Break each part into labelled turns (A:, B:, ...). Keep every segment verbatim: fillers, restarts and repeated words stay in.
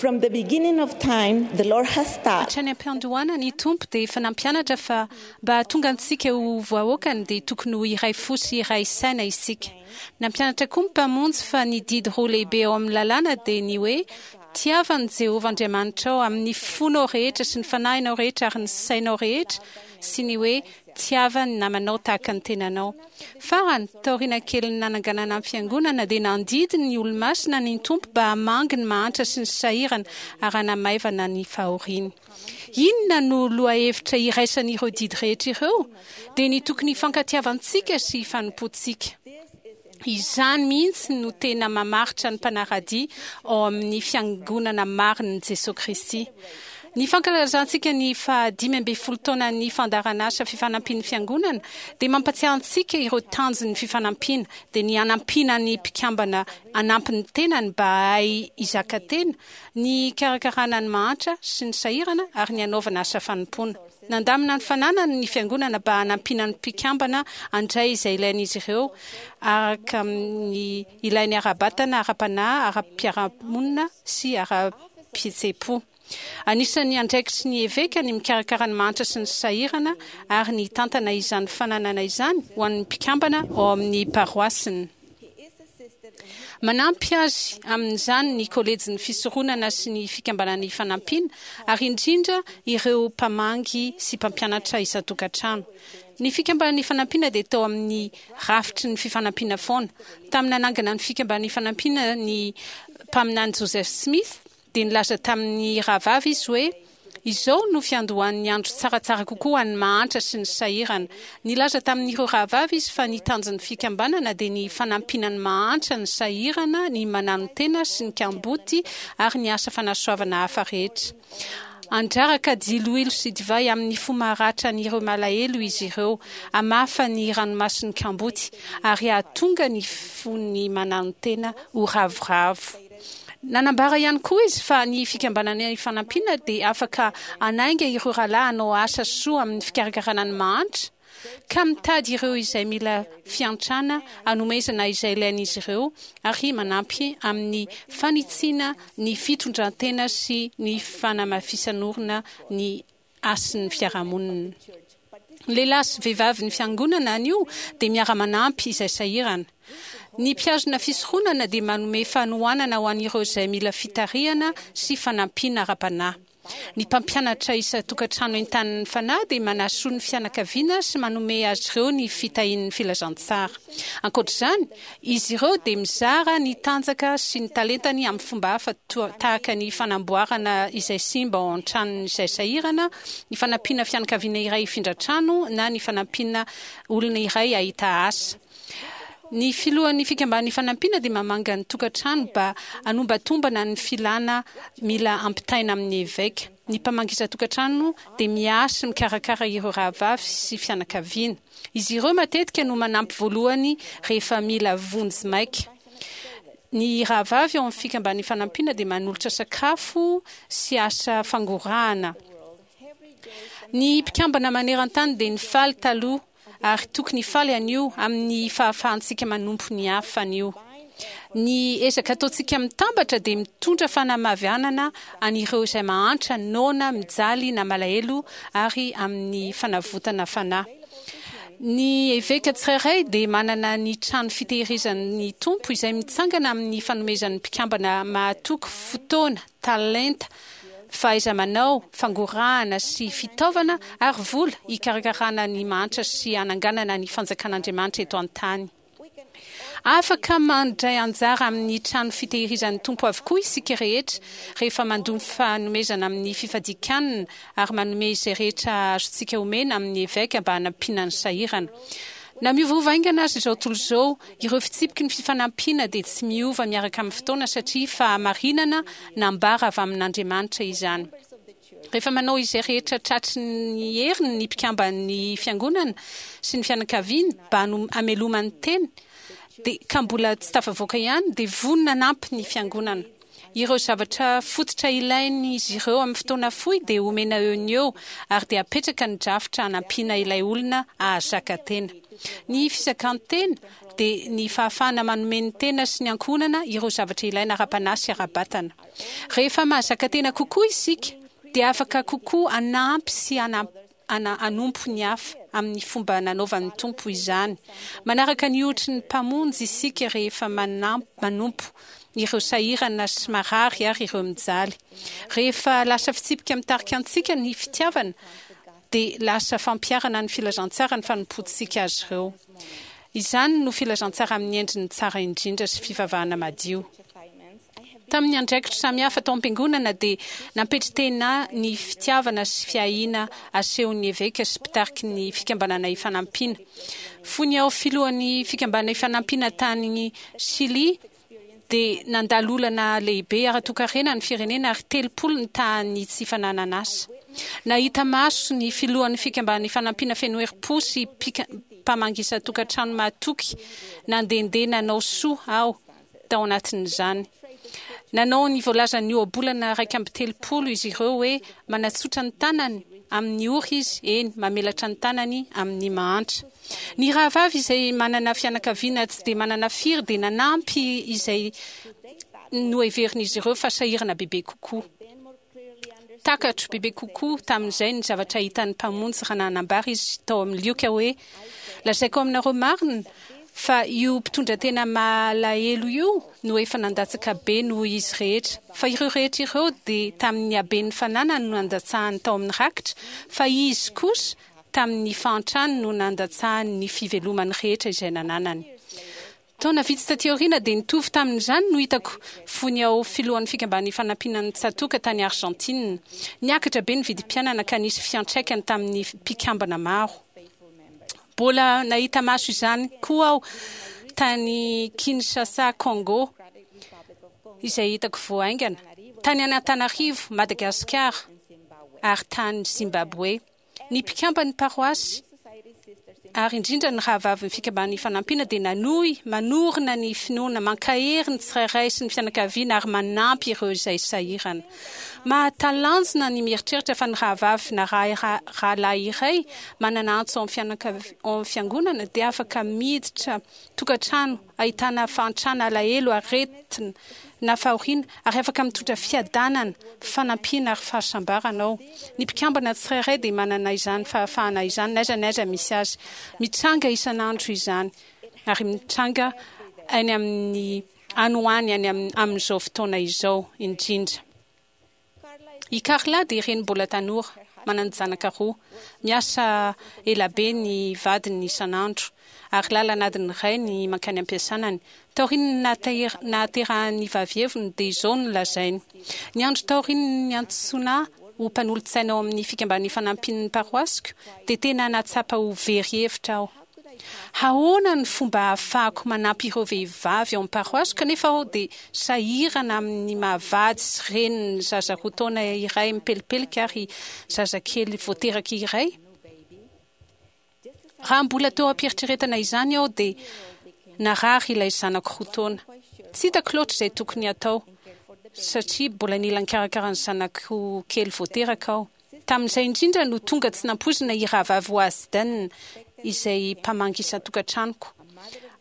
A: From the beginning of time, the Lord has taught
B: Hatrany am-piandohana ny Tompo dia efa nampianatra fa mba hahatonga antsika ho vahoakany dia tokony ho iray fo sy iray saina isika. Nampianatra koa ny Mpamonjy fa ny didy roa lehibe ao amin'ny lalàna dia ny hoe tiava an'i Jehovah Andriamanitrao amin'ny fonao rehetra sy ny fanahinao rehetra ary ny sainao rehetra sy ny hoe tiava ny namanao tahaka ny tenanao. Farany, taoriana kelin'ny nananganana ny Fiangonana dia nandidy ny Olomasina ny Tompo mba hamangy ny mahantra sy ny sahirana ary hanamaivana ny fahoriany. Inona no lohahevitra iraisan'ireo didy rehetra ireo? Dia ny tokony hifankatiavantsika sy hifanompoantsika. Izany mihitsy no tena mamaritra ny mpanara-dia ao amin'ny Fiangonana marin'i Jesoa Kristy. Ny fankalazantsika ny fahadimy ambin'ny folo taonan'ny fandaharanasa fifanampian'ny Fiangonana dia mampatsiahy antsika ireo tanjon'ny fifanampiana, dia ny hanampiana ny mpikambana hanampy ny tenany mba hahay hizaka tena, ny hikarakarana ny mahantra sy ny sahirana ary ny hanaovana asa fanompoana. Nandamina ny fananany ny Fiangonana mba hanampiana ny mpikambana handray izay ilain'izy ireo araka ny ilainy ara-batana, ara-panahy, ara-piarahamonina sy ara-pihetseham-po. Anisan'ny andraikitry ny eveka ny mikarakara ny mahantra sy ny sahirana ary ny hitantana izany fananana izany ho an'ny mpikambana ao amin'ny paroasiny. Manampy azy amin'izany ny kolejin'ny fisoronana sy ny Fikambanana Ifanampiana ary indrindra ireo mpamangy sy mpampianatra isan-tokantrano. Ny Fikambanana Ifanampiana dia tao amin'ny rafitry ny fifanampiana foana. Tamin'ny nanangana ny Fikambanana Ifanampiana ny Mpaminany Joseph Smith dia nilaza tamin'ny rahavavy izy hoe, Izao no fiandohan'ny andro tsaratsara kokoa ho an'ny mahantra sy ny sahirana. Nilaza tamin'ireo rahavavy izy fa ny tanjon'ny fikambanana dia ny fanampiana ny mahantra, ny sahirana, ny mananotena sy ny kamboty ary ny asa fanasoavana hafa rehetra. Handraraka diloilo sy divay amin'ny fo maratra an'ireo malahelo izy ireo, hamafa ny ranomason'ny kamboty, ary hahatonga ny fon'ny mananotena ho ravoravo. Nanambara ihany koa izy fa ny Fikambanana Ifanampiana dia afaka hanainga ireo rahalahy hanao asa soa amin'ny fikarakarana ny mahantra, ka mitady ireo izay mila fiantrana hanomezana izay ilain'izy ireo ary manampy amin'ny fanitsiana ny fitondran-tena sy ny fanamafisan'orina ny hasin'ny fiarahamonina. Ny lehilahy sy vehivavin'ny Fiangonana anio dia miara-manampy izay sahirana. Ny mpihazona fisoronana dia manome fanohanana ho an'ireo izay mila fitarihana sy fanampiana ara-panahy. Ny mpampianatra isan-tokantrano entanin'ny Fanahy dia manasoa ny fianakaviana sy manome azy ireo ny fitahian'ny filazantsara. Ankoatra izany, izy ireo dia mizara ny tanjaka sy ny talentany amin'ny fomba hafa tahaka ny fanamboarana izay simba ao an-tranon'izay sahirana, ny fanampiana fianakaviana iray hifindra trano na ny fanampiana olona iray hahita asa. Ny filohan'ny Fikamban'ny Fanampiana dia mamanga ny tokantrano mba hanombatombana ny filàna mila ampitaina amin'ny eveka. Ny mpamangy isan-tokantrano dia miahy sy mikarakara ireo rahavavy sy fianakaviana. Izy ireo matetika no manampy voalohany rehefa mila vonjy maika. Ny rahavavy ao amin'ny Fikamban'ny Fanampiana dia manolotra sakafo sy asa fangorahana. Ny mpikambana maneran-tany dia nifaly taloha ary tokony hifaly anio amin'ny fahafahantsika manompo ny hafa anio. Ny ezaka ataontsika mitambatra dia mitondra fanamavianana an'ireo izay mahantra, noana, mijaly na malahelo ary amin'ny fanavotana fanahy. Ny eveka tsirairay dia manana ny trano fitehirizan'ny Tompo izay mitsangana amin'ny fanomezan'ny mpikambana mahatoky fotoana, talenta, fahaiza-manao, fangorahana sy fitaovana ary vola hikarakarana ny mahantra sy hananganana ny fanjakan'Andriamanitra eto an-tany. Afaka mandray anjara amin'ny trano fitehirizan'ny Tompo avokoa isika rehetra rehefa mandoa ny fanomezana amin'ny fifadian-kanina ary manome izay rehetra azontsika omena amin'ny eveka mba hanampiana ny sahirana. Na miovaova haingana aza izao tontolo izao, ireo fitsipiky ny fifanampiana dia tsy miova miaraka amin'ny fotoana satria fahamarinana nambara avy amin'Andriamanitra izany. Rehefa manao izay rehetra tratry ny heriny ny mpikamban'ny Fiangonana sy ny fianakaviany mba hamelomany teny dia ka mbola tsy tafavoaka ihany dia vonona hanampy ny Fiangonana. Ireo zavatra fototra ilain'izy ireo amin'ny fotoana fohy dia omena eo no eo, ary dia apetraka ny drafitra hanampiana ilay olona hahazaka tena. Ny fizakan-tena dia ny fahafahana manome ny tena sy ny ankohonana ireo zavatra ilaina ara-panahy sy ara-batana. Rehefa mahazaka tena kokoa isika, dia afaka kokoa hanampy sy hanompo ny hafa amin'ny fomba nanaovan'ny Tompo izany. Manaraka ny ohatry ny Mpamonjy isika rehefa manompo ireo sahirana sy marary ary ireo mijaly. Rehefa lasa fitsipika mitarika antsika ny fitiavana, dia lasa fampiharana ny filazantsara ny fanompoantsika azy ireo. Izany no filazantsara amin'ny endriny tsara indrindra sy fivavahana madio. Tamin'ny andraikitro samihafa tao am-piangonana dia nampetri-tena ny fitiavana sy fiahiana asehon'ny eveka sy mpitariky ny Fikambanana Ifanampiana. Fony aho filohan'ny Fikambanana Ifanampiana tany Chili dia nandalo olana lehibe ara-toekarena ny firenena ary telopolo ny tahan'ny tsy fananan'asa. Nahita maso ny filohan'ny Fikambanana Ifanampiana feno herim-po sy mpamangy isan-tokantrano mahatoky nandehandeha nanao soa aho tao anatin'izany. Nanao ny voalazan'ny ohabolana iraika amby telopolo izy ireo hoe manatsotra ny tanany amin'ny ory izy, eny, mamelatra ny tanany amin'ny mahantra. Ny rahavavy izay manana fianakaviana tsy dia manana firy dia nanampy izay noheverin'izy ireo fa sahirana bebe kokoa. Takatro bebe kokoa tamin'izay ny zavatra hitan'ny Mpamonjy raha nanambara izy tao amin'ny Lioka hoe, Lazaiko aminareo marina fa io mpitondratena malahelo io no efa nandatsaka be noho izy rehetra, fa ireo rehetra ireo dia tamin'ny haben'ny fananany no nandatsahany tao amin'ny rakitra, fa izy kosa tamin'ny fahantrany no nandatsahany ny fivelomany rehetra izay nananany. Taona vitsy taty aoriana dia nitovy tamin'izany no hitako fony aho filohan'ny Fikambanan'ny Fanampiana ny Tsatòka tany Argentine. Niakatra be ny vidim-piainana ka nisy fiantraikany tamin'ny mpikambana maro. Mbola nahita maso izany koa aho tany Kinshasa, Congo, izay hitako vao haingana, tany Antananarivo, Madagasikara, ary tany Zimbabwe. Ny mpikamban'ny paroasy, ary indrindra ny rahavavin'ny Fikambanan'ny Ifanampiana dia nanohy manorina ny finoana, mankahery ny tsirairay sy ny fianakaviana ary manampy ireo izay sahirana. Mahatalanjona ny mieritreritra fa ny rahavavy na rahalahy iray manana antso ao amin'ny fiangonana dia afaka miditra tokantrano ahitana fahantrana, alahelo, aretina na fahoriana, ary afaka mitondra fiadanana, fanampiana ary fahasambarana ao. Ny mpikambana tsirairay dia manana izany fahafahana izany n'aiza n'aiza misy azy. Mitranga isan'andro izany, ary mitranga any amin'ny any ho any any amin'izao fotoana izao indrindra. I Carla dia reny mbola tanora, manan-janaka roa. Miasa ela be ny vadiny isan'andro, ary lalana adiny iray ny mankany am-piasanany. Taorian'ny nahaterahan'ny vavy heviny dia izao no lazainy, Ny andro taorian'ny niantsoana ahy ho mpanolotsaina ao amin'ny Fikambanan'ny Fanampian'ny paroasiko dia tena nahatsapa ho very hevitra aho. Ahoana ny fomba ahafahako manampy ireo vehivavy ao amin'ny paroasiko kanefa aho dia sahirana amin'ny maha-vady sy renin'ny zaza roa taona iray mipelipelika ary zazakely vao teraka iray? Raha mbola teo am-pieritreretana izany aho dia narary ilay zanako roa taona. Tsy hitako loatra izay tokony hatao satria mbola nila nikarakara ny zanako kely vao teraka aho. Tamin'izay indrindra no tonga tsy nampoizina i Rahavavy Wasden, izay mpamangy isan-tokantranoko.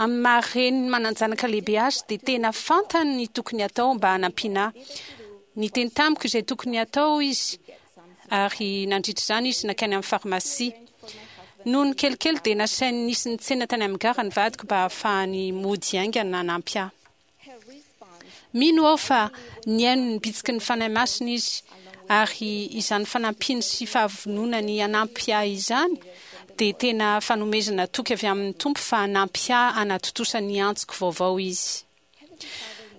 B: Amin'ny maha reny manan-janaka lehibe azy dia tena fantany ny tokony hatao mba hanampiana ahy. Niteny tamiko izay tokony hatao izy ary nandritra izany izy nankany amin'ny farmasia. Nony kelikely dia nasainy nisy nitsena tany amin'ny gara ny vadiko mba hahafahany mody haingana hanampy ahy. Mino aho fa nihaino ny bitsiky ny Fanahy Masina izy, ary izany fanampiany sy fahavononany hanampy ahy izany dia tena fanomezana toky avy amin'ny Tompo fa hanampy ahy hanatontosa ny antsoko vaovao Izy.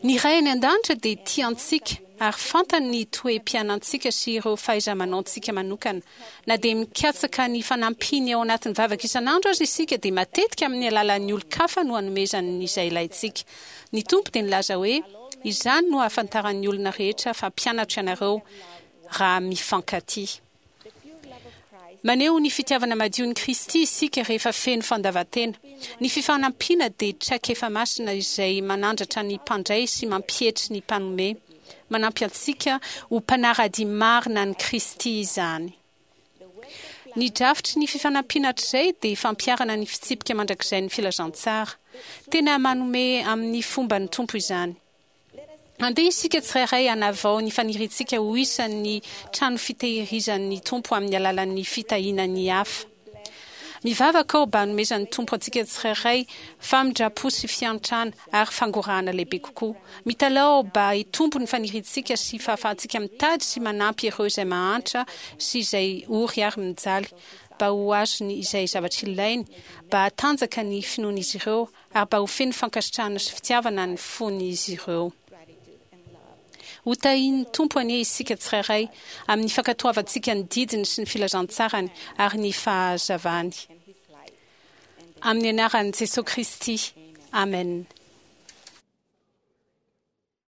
B: Ny Ray any An-danitra dia tia antsika ary fantany ny toe-piainantsika sy ireo fahaiza-manaontsika manokana. Na dia mikatsaka ny fanampiany ao anatin'ny vavaka isan'andro aza isika dia matetika amin'ny alalan'ny olon-kafa no anomezany izay ilaintsika. Ny Tompo dia nilaza hoe, Izany no ahafantaran'ny olona rehetra fa mpianatro ianareo, raha mifankatia. Maneho ny fitiavana madion'i Kristy isika rehefa feno fandavan-tena. Ny fifanampiana dia traikefa masina izay manandratra ny mpandray sy mampietry ny mpanome. Manampy antsika ho mpanara-dia marina an'i Kristy izany. Ny drafitry ny fifanampiana hatrizay dia fampiharana ny fitsipika mandrakizain'ny filazantsara. Tena manome amin'ny fomban'ny Tompo izany. Andeha isika tsirairay hanavao ny faniriantsika ho isan'ny trano fitehirizan'ny Tompo amin'ny alalan'ny fitahiana ny hafa. Mivavaka aho mba hanomezan'ny Tompo antsika tsirairay famindram-po sy fiantrana ary fangorahana lehibe kokoa. Mitalaho aho mba hitombo ny faniriantsika sy fahafahantsika mitady sy manampy ireo izay mahantra sy izay ory ary mijaly, mba ho azony izay zavatra ilainy, mba hatanjaka ny finoan'izy ireo ary mba ho feno fankasitrahana sy fitiavana ny fon'izy ireo. Ho tahian'ny Tompo anie isika tsirairay amin'ny fankatoavantsika ny didiny sy ny filazantsarany ary ny fahazavany. Amin'ny anaran'i Jesoa Kristy. Amen.